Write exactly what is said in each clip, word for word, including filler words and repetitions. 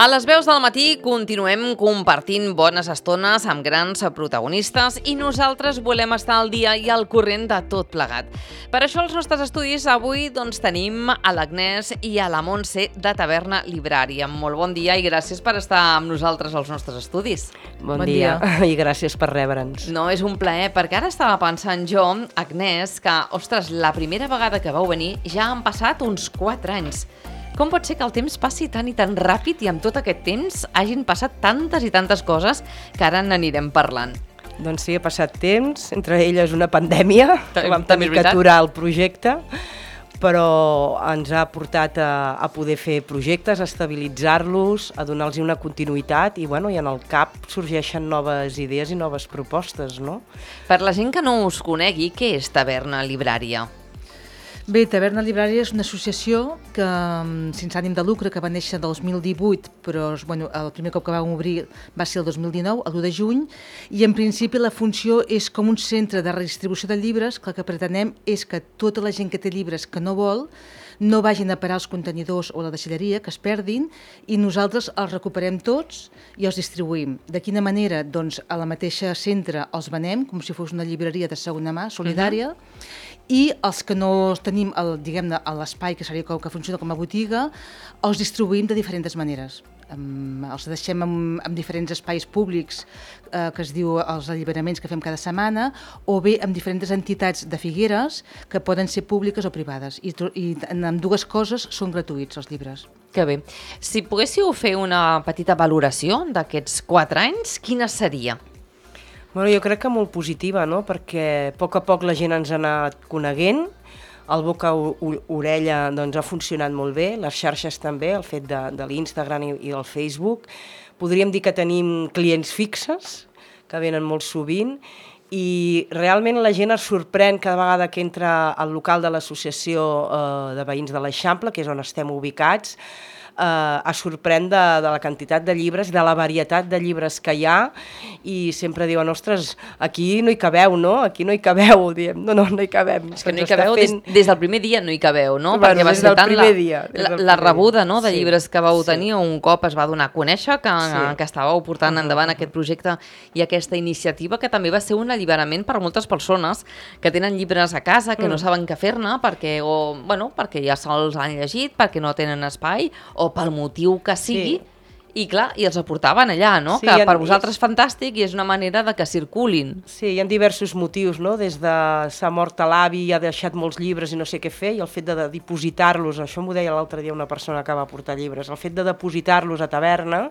A les veus del matí continuem compartint bones estones amb grans protagonistes i nosaltres volem estar al dia i al corrent de tot plegat. Per això als nostres estudis avui doncs, tenim a l'Agnès i a la Montse de Taverna Librària. Molt bon dia i gràcies per estar amb nosaltres als nostres estudis. Bon, bon dia. dia i gràcies per rebre'ns. No, és un plaer, perquè ara estava pensant jo, Agnès, que, ostres, la primera vegada que vau venir ja han passat uns quatre anys. Com pot ser que el temps passi tan i tan ràpid i amb tot aquest temps hagin passat tantes i tantes coses que ara n'anirem parlant? Doncs sí, ha passat temps, entre elles una pandèmia, que vam tenir que aturar el projecte, però ens ha portat a, a poder fer projectes, a estabilitzar-los, a donar-los una continuïtat i, bueno, i en el cap sorgeixen noves idees i noves propostes, no? Per la gent que no us conegui, què és Taverna Librària? Bé, Taverna Librària és una associació que, sense ànim de lucre, que va néixer el dos mil divuit, però bueno, el primer cop que vam obrir va ser el dos mil dinou, el l'u de juny, i en principi la funció és com un centre de redistribució de llibres, que el que pretenem és que tota la gent que té llibres que no vol no vagin a parar als contenidors o a la deixalleria, que es perdin, i nosaltres els recuperem tots i els distribuïm. De quina manera? Doncs a la mateixa centre els venem, com si fos una llibreria de segona mà, solidària, uh-huh. I els que no tenim el, diguem-ne, l'espai, que seria com que funciona com a botiga, els distribuïm de diferents maneres. Um, els deixem en, en diferents espais públics eh, que es diu els alliberaments que fem cada setmana, o bé amb diferents entitats de Figueres que poden ser públiques o privades, i, i en ambdues coses són gratuïts els llibres. Que bé. Si poguéssiu fer una petita valoració d'aquests quatre anys, quina seria? Bueno, jo crec que molt positiva, no? Perquè a poc a poc la gent ens ha anat coneguent, el boca-orella doncs, ha funcionat molt bé, les xarxes també, el fet de, de l'Instagram i, i del Facebook. Podríem dir que tenim clients fixes, que venen molt sovint, i realment la gent es sorprèn cada vegada que entra al local de l'associació eh, de veïns de l'Eixample, que és on estem ubicats, Uh, es sorprèn de, de la quantitat de llibres, de la varietat de llibres que hi ha, i sempre diuen, ostres, aquí no hi cabeu, no? Aquí no hi cabeu, diem, no, no, no hi cabem. És que no hi cabeu, fent... des, des del primer dia no hi cabeu, no? Bueno, perquè va ser tant la, dia, la, la rebuda, no?, de sí, llibres que vau sí. tenir, un cop es va donar a conèixer que, sí. que estàveu portant uh-huh. endavant aquest projecte i aquesta iniciativa, que també va ser un alliberament per a moltes persones que tenen llibres a casa, que mm. no saben què fer-ne, perquè, o, bueno, perquè ja se'ls han llegit, perquè no tenen espai, o pel motiu que sigui, sí. i clar, i els aportaven allà, no? Sí, que per vosaltres és fantàstic i és una manera de que circulin. Sí, hi ha diversos motius, no? Des de s'ha mort a l'avi i ha deixat molts llibres i no sé què fer, i el fet de, de dipositar-los, això m'ho deia l'altre dia una persona que va portar llibres, el fet de dipositar-los a taverna,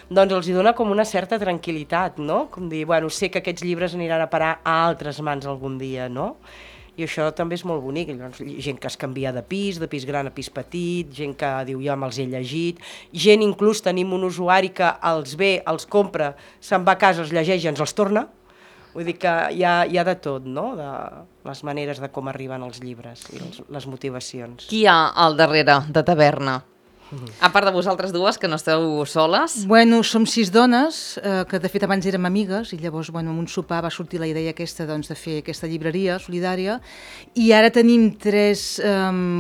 doncs els hi dona com una certa tranquil·litat, no? Com dir, bueno, sé que aquests llibres aniran a parar a altres mans algun dia, no? I això també és molt bonic, gent que es canvia de pis, de pis gran a pis petit, gent que diu ja me'ls he llegit, gent inclús tenim un usuari que els ve, els compra, se'n va a casa, els llegeix i ens els torna, vull dir que hi ha, hi ha de tot, no?, de les maneres de com arriben els llibres i les, les motivacions. Qui hi ha al darrere de Taverna? A part de vosaltres dues, que no esteu soles? Bueno, som sis dones, eh, que de fet abans érem amigues, i llavors, bueno, en un sopar va sortir la idea aquesta, doncs, de fer aquesta llibreria solidària, i ara tenim tres eh,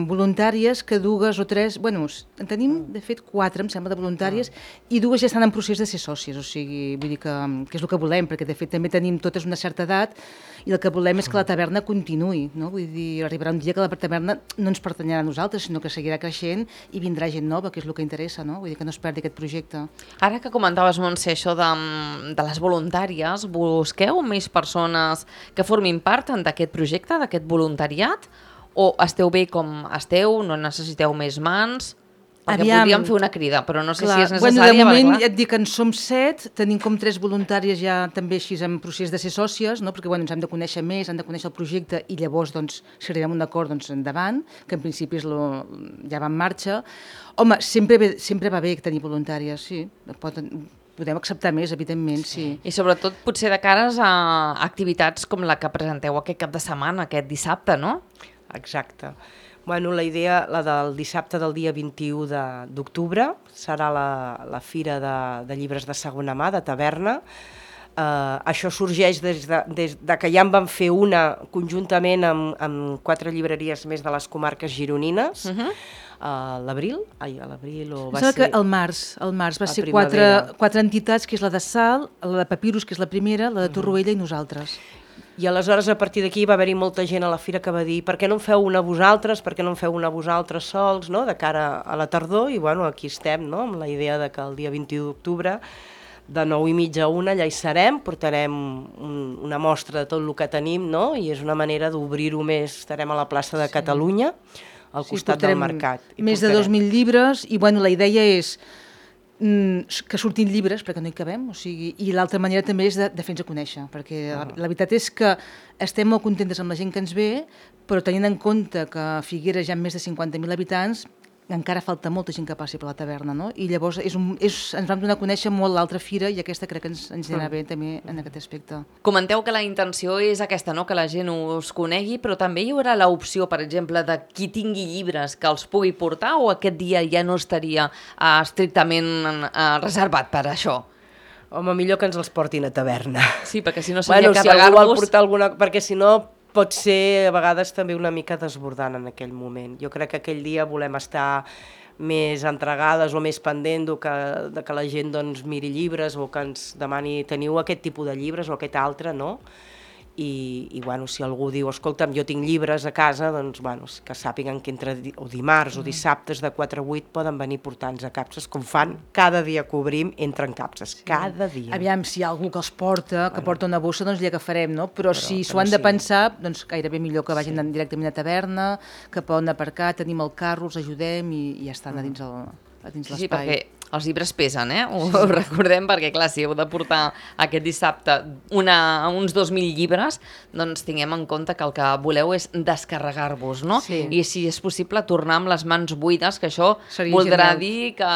voluntàries, que dues o tres, bueno, en tenim, de fet, quatre, em sembla, de voluntàries, i dues ja estan en procés de ser sòcies, o sigui, vull dir que, que és el que volem, perquè de fet també tenim totes una certa edat, i el que volem és que la taverna continuï, no? Vull dir, arribarà un dia que la taverna no ens pertanyerà a nosaltres, sinó que seguirà creixent i vindrà gent nova, que és el que interessa, no? Vull dir que no es perdi aquest projecte. Ara que comentaves, Montse, això de, de les voluntàries, busqueu més persones que formin part d'aquest projecte, d'aquest voluntariat, o esteu bé com esteu, no necessiteu més mans? Perquè Aviam, podríem fer una crida, però no sé clar, si és necessària. Bueno, de moment perquè, ja et dic que en som set, tenim com tres voluntàries ja també així en procés de ser sòcies, no? Perquè bueno, ens hem de conèixer més, hem de conèixer el projecte i llavors, doncs, si arribem a un acord, doncs, endavant, que en principi és lo, ja va en marxa. Home, sempre, ve, sempre va bé tenir voluntàries, sí. Poden, podem acceptar més, evidentment, sí. I sobretot potser de cares a activitats com la que presenteu aquest cap de setmana, aquest dissabte, no? Exacte. Bueno, la idea, la del dissabte del dia vint-i-u d'octubre, serà la, la fira de, de llibres de segona mà, de Taverna. Uh, això sorgeix des de, des de que ja en vam fer una conjuntament amb, amb quatre llibreries més de les comarques gironines, uh -huh. a l'abril, ai, a l'abril o va Sembla ser... que al març, al març va a ser quatre, primavera. quatre entitats, que és la de Sal, la de Papirus, que és la primera, la de Torroella i nosaltres. I aleshores, a partir d'aquí, va haver-hi molta gent a la fira que va dir per què no en feu una vosaltres, per què no en feu una vosaltres sols, no?, de cara a la tardor, i bueno, aquí estem, no?, amb la idea de que el dia vint-i-u d'octubre, de nou i mitja a una, allà hi serem, portarem un, una mostra de tot el que tenim, no?, i és una manera d'obrir-ho més, estarem a la plaça de Catalunya, al Sí, costat del portarem mercat. I més de portarem- dos mil llibres, i bueno, la idea és mm, que surtin llibres, perquè no hi cabem, o sigui, i l'altra manera també és de, de fer-nos a conèixer, perquè la, la veritat és que estem molt contentes amb la gent que ens ve, però tenint en compte que a Figueres hi ha més de cinquanta mil habitants, encara falta molta gent que passi per la taverna, no? I llavors és un, és, ens vam donar a conèixer molt l'altra fira i aquesta crec que ens, ens anirà bé també en aquest aspecte. Comenteu que la intenció és aquesta, no?, que la gent us conegui, però també hi haurà l'opció, per exemple, de qui tingui llibres que els pugui portar, o aquest dia ja no estaria uh, estrictament uh, reservat per això? Home, millor que ens els portin a taverna. Sí, perquè si no seria bueno, si algú vol carregar-vos... portar alguna... Perquè si no pot ser a vegades també una mica desbordant en aquell moment. Jo crec que aquell dia volem estar més entregades o més pendent de que, de que la gent doncs, miri llibres o que ens demani teniu aquest tipus de llibres o aquest altre, no? I, i bueno, si algú diu, escolta'm, jo tinc llibres a casa, doncs bueno, que sàpiguen que entre di o dimarts o dissabtes de quatre a vuit poden venir portant-nos a capses, com fan cada dia que obrim, entren capses, sí. Cada dia. Aviam, si hi ha algú que els porta, que bueno. porta una bossa, doncs li agafarem, no? Però, Però si s'ho han sí. de pensar, doncs gairebé millor que vagin sí. directament a taverna, que poden aparcar, tenim el carro, els ajudem i, i ja estan mm. a dins el, a dins l'espai. Sí, perquè els llibres pesen, eh? Ho, ho recordem, perquè clar, si heu de portar aquest dissabte una, uns dos mil llibres, doncs tinguem en compte que el que voleu és descarregar-vos, no? Sí. I si és possible tornar amb les mans buides, que això Seria voldrà genial. dir que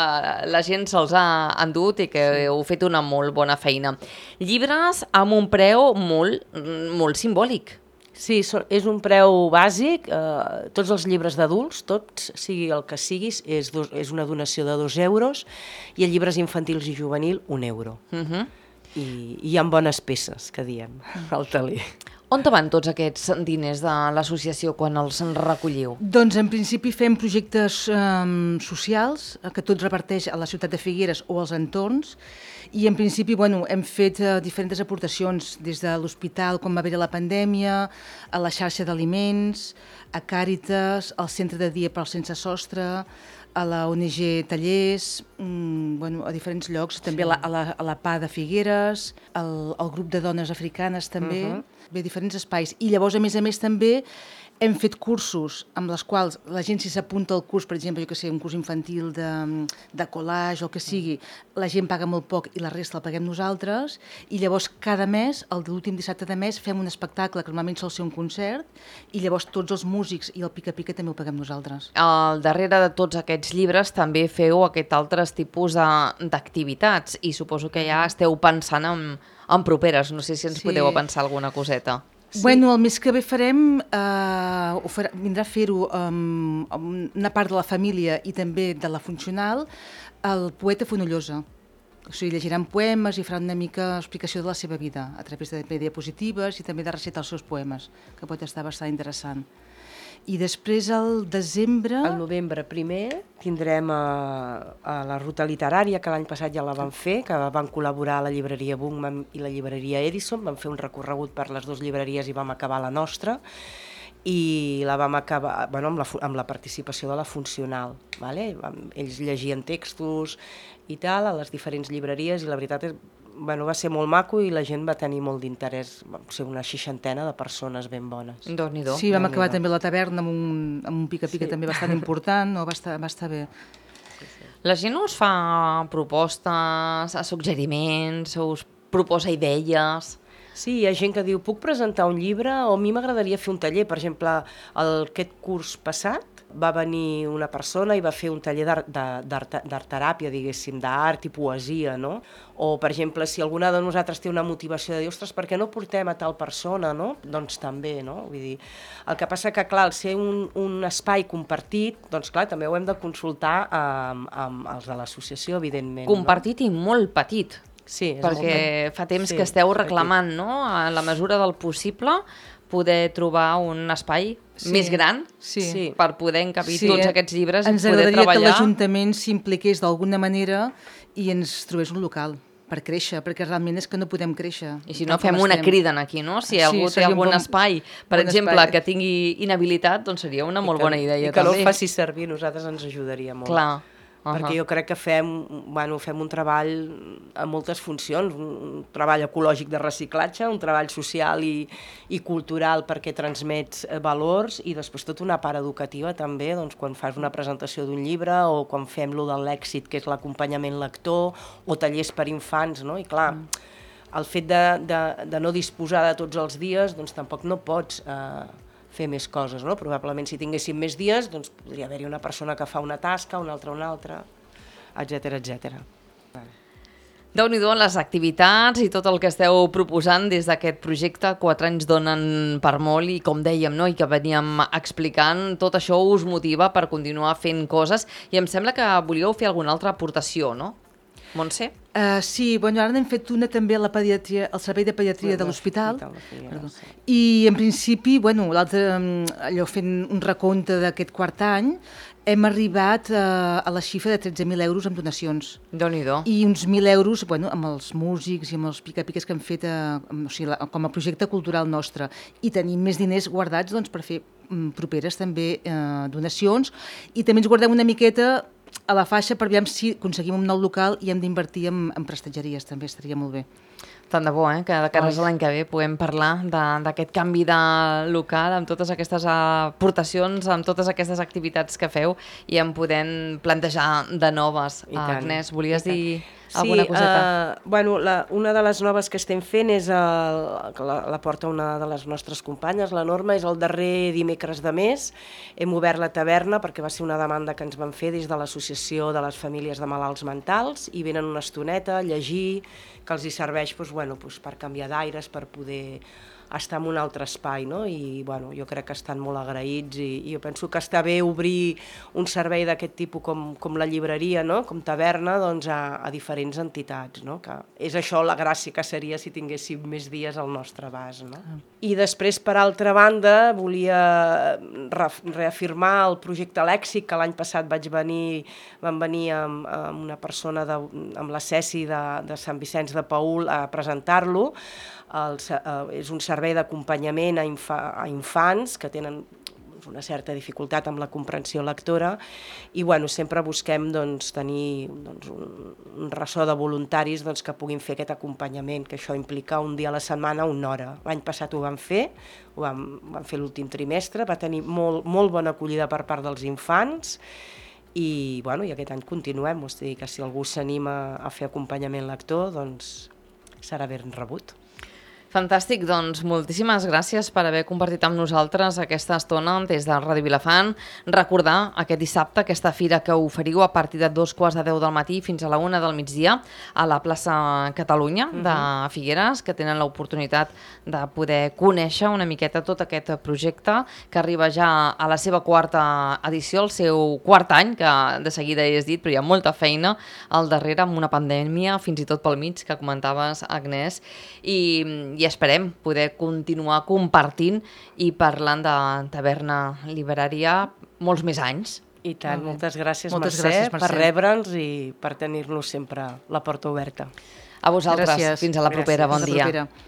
la gent se'ls ha endut i que sí. heu fet una molt bona feina. Llibres amb un preu molt, molt simbòlic. Sí, so, és un preu bàsic, eh, tots els llibres d'adults, tots, sigui el que siguis, és, dos, és una donació de dos euros, i els llibres infantils i juvenil, un euro. Uh -huh. I, i hi ha bones peces, que diem, al taler. On van tots aquests diners de l'associació quan els recolliu? Doncs en principi fem projectes um, socials, que tot reparteix a la ciutat de Figueres o als entorns, i en principi bueno, hem fet uh, diferents aportacions des de l'hospital quan va haver la pandèmia, a la xarxa d'aliments, a Càritas, al centre de dia per al sense sostre, a la O N G Tallers, mmm, bueno, a diferents llocs, també sí. a, la, a, la, a la P A de Figueres, al, al grup de dones africanes també, uh -huh. bé, diferents espais. I llavors, a més a més, també hem fet cursos amb les quals la gent, si s'apunta al curs, per exemple, jo que sé, un curs infantil de, de collage o que sigui, la gent paga molt poc i la resta el paguem nosaltres, i llavors cada mes, el de l'últim dissabte de mes, fem un espectacle que normalment sol ser un concert, i llavors tots els músics i el pica-pica també ho paguem nosaltres. Al darrere de tots aquests llibres també feu aquest altres tipus d'activitats, i suposo que ja esteu pensant en, en properes. No sé si ens sí. podeu pensar alguna coseta. Sí. Bueno, el mes que ve farem, eh, ho farà, vindrà a fer-ho um, una part de la família i també de la funcional, el poeta Fonollosa. O sigui, llegiran poemes i faran una mica explicació de la seva vida, a través de diapositives i també de recitar els seus poemes, que pot estar bastant interessant. I després, al desembre... Al novembre primer tindrem a, a la Ruta Literària, que l'any passat ja la vam fer, que van col·laborar la llibreria Bungman i la llibreria Edison, vam fer un recorregut per les dues llibreries i vam acabar la nostra, i la vam acabar bueno, amb, la, amb la participació de la funcional. Vale? Ells llegien textos i tal a les diferents llibreries, i la veritat és bueno, va ser molt maco i la gent va tenir molt d'interès, va ser una seixantena de persones ben bones. Déu-n'hi-do. Sí, vam acabar també la taverna amb un, amb un pica-pica sí. també bastant important, no? va, estar, va estar bé. Sí, sí. La gent us fa propostes, suggeriments, us proposa idees... Sí, hi ha gent que diu, puc presentar un llibre o a mi m'agradaria fer un taller. Per exemple, el, aquest curs passat va venir una persona i va fer un taller d'art teràpia, diguéssim, d'art i poesia, no? O, per exemple, si alguna de nosaltres té una motivació de dir, ostres, per què no portem a tal persona, no? Doncs també, no? Vull dir, el que passa que, clar, al ser un, un espai compartit, doncs, clar, també ho hem de consultar amb, amb els de l'associació, evidentment. Compartit no? I molt petit. Sí, és perquè molt... fa temps sí, que esteu petit. reclamant, no?, a la mesura del possible, poder trobar un espai Sí. més gran Sí. Sí. per poder encabir Sí, tots eh, aquests llibres i ens poder agradaria que treballar. l'Ajuntament s'impliqués d'alguna manera i ens trobés un local per créixer, perquè realment és que no podem créixer. I si no, tal com fem una estem. crida aquí, no? Si Sí, algú té seria un algun bon- espai, per bon exemple, espai. que tingui inhabilitat, doncs seria una I molt que- bona idea I que també. no el faci servir, nosaltres ens ajudaria molt. Clar. Perquè Ahà. jo crec que fem, bueno, fem un treball a moltes funcions, un, un treball ecològic de reciclatge, un treball social i, i cultural perquè transmets eh, valors i després tota una part educativa també, doncs, quan fas una presentació d'un llibre o quan fem lo de l'èxit, que és l'acompanyament lector, o tallers per infants, no? I clar, el fet de, de, de no disposar de tots els dies, doncs tampoc no pots eh, fer més coses, no? Probablement si tinguéssim més dies, doncs podria haver-hi una persona que fa una tasca, una altra una altra, etcètera, etcètera. Déu-n'hi-do les activitats i tot el que esteu proposant des d'aquest projecte. Quatre anys donen per molt i, com dèiem, no?, i que veníem explicant, tot això us motiva per continuar fent coses i em sembla que volíeu fer alguna altra aportació, no? Montse? Uh, sí, bueno, ara n'hem fet una també a la pediatria, al servei de pediatria de l'hospital. Sí. I en principi, bueno, l'altre, allò fent un recompte d'aquest quart any, hem arribat uh, a la xifra de tretze mil euros en donacions. Déu-n'hi-do. I uns mil euros, bueno, amb els músics i amb els pica-piques que hem fet uh, o sigui, la, com a projecte cultural nostre. I tenim més diners guardats doncs, per fer um, properes també uh, donacions i també ens guardem una miqueta a la faixa per veure si aconseguim un nou local i hem d'invertir en, en prestatgeries, també estaria molt bé. Tant de bo, eh? Que de cara a l'any que ve puguem parlar d'aquest canvi de local, amb totes aquestes aportacions, amb totes aquestes activitats que feu i en podem plantejar de noves. I tant, Agnès, volies dir Sí, alguna coseta? uh, bueno, la, una de les noves que estem fent és, el, que la, la porta una de les nostres companyes, la Norma, és el darrer dimecres de mes. Hem obert la taverna perquè va ser una demanda que ens van fer des de l'Associació de les Famílies de Malalts Mentals i venen una estoneta a llegir, que els hi serveix doncs, bueno, doncs, per canviar d'aires, per poder estar en un altre espai, no? I bueno, jo crec que estan molt agraïts i, i jo penso que està bé obrir un servei d'aquest tipus com, com la llibreria, no? Com taverna, doncs a, a diferents entitats, no? Que és això la gràcia que seria si tinguéssim més dies al nostre abast, no? Ah. I després, per altra banda, volia re reafirmar el projecte Lèxic, que l'any passat vaig venir, vam venir amb, amb una persona, de, amb la Ceci de, de Sant Vicenç de Paül a presentar-lo. El, uh, és un servei d'acompanyament a, infa, a infants que tenen una certa dificultat amb la comprensió lectora i bueno, sempre busquem doncs, tenir doncs, un, un ressò de voluntaris doncs, que puguin fer aquest acompanyament, que això implica un dia a la setmana, una hora. L'any passat ho vam fer, ho vam, vam fer l'últim trimestre, va tenir molt, molt bona acollida per part dels infants i, bueno, i aquest any continuem, o sigui que si algú s'anima a fer acompanyament lector, doncs serà ben rebut. Fantàstic, doncs moltíssimes gràcies per haver compartit amb nosaltres aquesta estona des de Ràdio Vilafant. Recordar aquest dissabte aquesta fira que oferiu a partir de dos quarts de deu del matí fins a la una del migdia a la plaça Catalunya de Figueres, que tenen l'oportunitat de poder conèixer una miqueta tot aquest projecte que arriba ja a la seva quarta edició, el seu quart any, que de seguida he dit, però hi ha molta feina al darrere amb una pandèmia, fins i tot pel mig, que comentaves, Agnès, i i esperem poder continuar compartint i parlant de taverna literària molts més anys. I tant, moltes gràcies, moltes Mercè, gràcies, Mercè, per rebre'ns i per tenir-nos sempre la porta oberta. A vosaltres, Gràcies. fins a la propera, Gràcies. bon dia. Fins a la propera.